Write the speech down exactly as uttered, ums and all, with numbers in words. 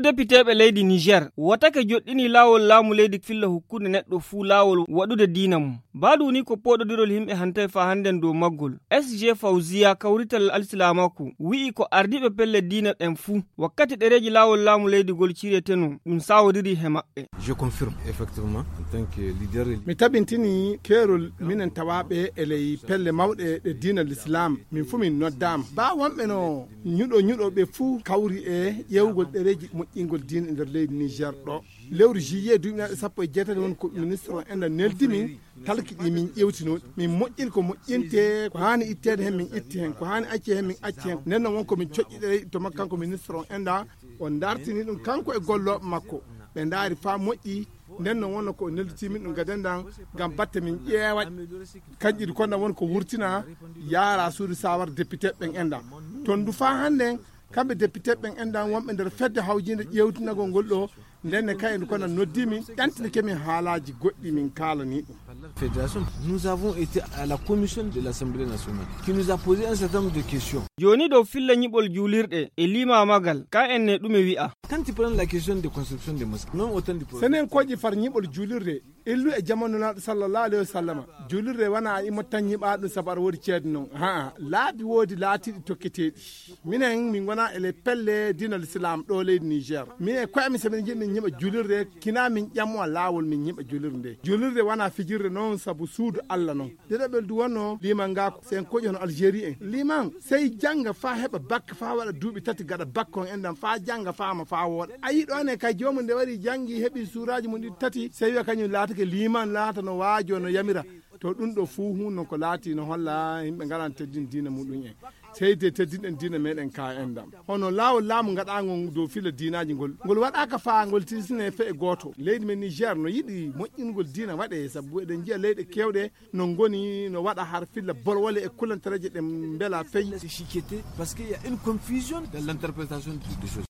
Depiteeɓe leydi Niger wotake joɗɗini laawol laamu leydi filla hukkunde neɗɗo fuu laawol waɗude diina mum. Baadu woni ko pooɗodirol yimɓe hantay faa hannden dow maggol. S G Fawziya kawrital alsilaamaaku wi'i ko ardiiɓe pelle diina ɗen fuu wakkati ɗereeji laawol laamu leydi ngol ciretenoo ɗum saawodiri he maɓɓe. Je confirme effectivement en tant que leader religieux. Mi tabintini keerol minen tawaaɓe e ley pelle mawɗe ɗe diina l'islam. Min fuu min noddaama. Baa wonɓe no ñuɗo ñuɗo ɓe fuu kawri e ƴeewgol ɗereeji moƴƴingol diina e nder leydi Niger ɗo. Lewru juillet duuɓi naɓe sappo e jeetati woni ko ministre on enda neldi min talki ɗi min ƴewtino. Min moƴƴin ko moƴƴinte ko haani itteede heen min itti heen ko haani acce heen min acci heen. Nden noon won ko min coƴƴi ɗereeji to makko kanko ministre on enda o dartini ɗum kanko e gollooɓe makko. Ɓe ndaari faa moƴƴi. Nden noon wonno ko o nelditii min ɗum gaden dan ngam batte min ƴeewa. Kanƴi ɗi konda woni ko wurtina yaara suudu sawar député ɓen enda. Toon du faa hannden kamɓe député ɓen enda wonɓe nder fedde hawjiinde ƴeewtinagol ngol ɗo. Nden ne kayen kono noddi min ƴantinike min haalaaji goɗɗi min kaalani ɗum. Fédération, nous avons été à la commission de l'Assemblée nationale qui nous a posé un certain nombre de questions. Jooni dow filla ñiɓol juulirɗe e limaamagal ka en ne ɗume wi'a? Quand tu prends la question de construction des mosquées, même autant de problèmes. Senen kooƴi far ñiɓol juulirde illu e jamanu naaɗo sallallahu alayhi wa sallama. Juulirde wona a immo tan ñiɓa ɗum sabu aɗa woodi ceede noon. Haa laabi woodi laatiiɗi tokketeeɗi. Minen min ngona e le pelle diina l'islam ɗo leydi Niger. Min e koye amin so min njiɗi min ñiɓa juulirde kina min ƴammo laawol min ñiɓa juulirde nde. Juulirde wona fijirde noon sabu suudu Allah noon. Ɗiɗaɓel du wonno liman ngaako sen koƴi hono Algérie en. Liman sey jannga faa heɓa bakke faa waɗa duuɓi tati gaɗa bakke on endan faa jannga faama faa wooɗa. A yii ɗo ne kay joomum nde wari janngi heɓi suuraaji mum ɗiɗi tati sey wiya kañum laatake liman laata no waajo no yamira. To ɗum ɗo fuu hun non ko laati no holla yimɓe ngalan teddin diina muɗum en. Sey de teddinɗen diina meɗen ka endan. Hono laawol laamu ngaɗaango dow filla diinaaji ngol. Ngol waɗaaka faa ngol tirsine fe e gooto. Leydi men Niger no yiɗi moƴƴingol diina waɗe sabu eɗen njiya leyɗe kewɗe no ngoni no waɗa har filla bolwole e kulantareeje ɗe mbela fey. C'est chiqueté parce qu'il y a une confusion dans l'interprétation de, de choses.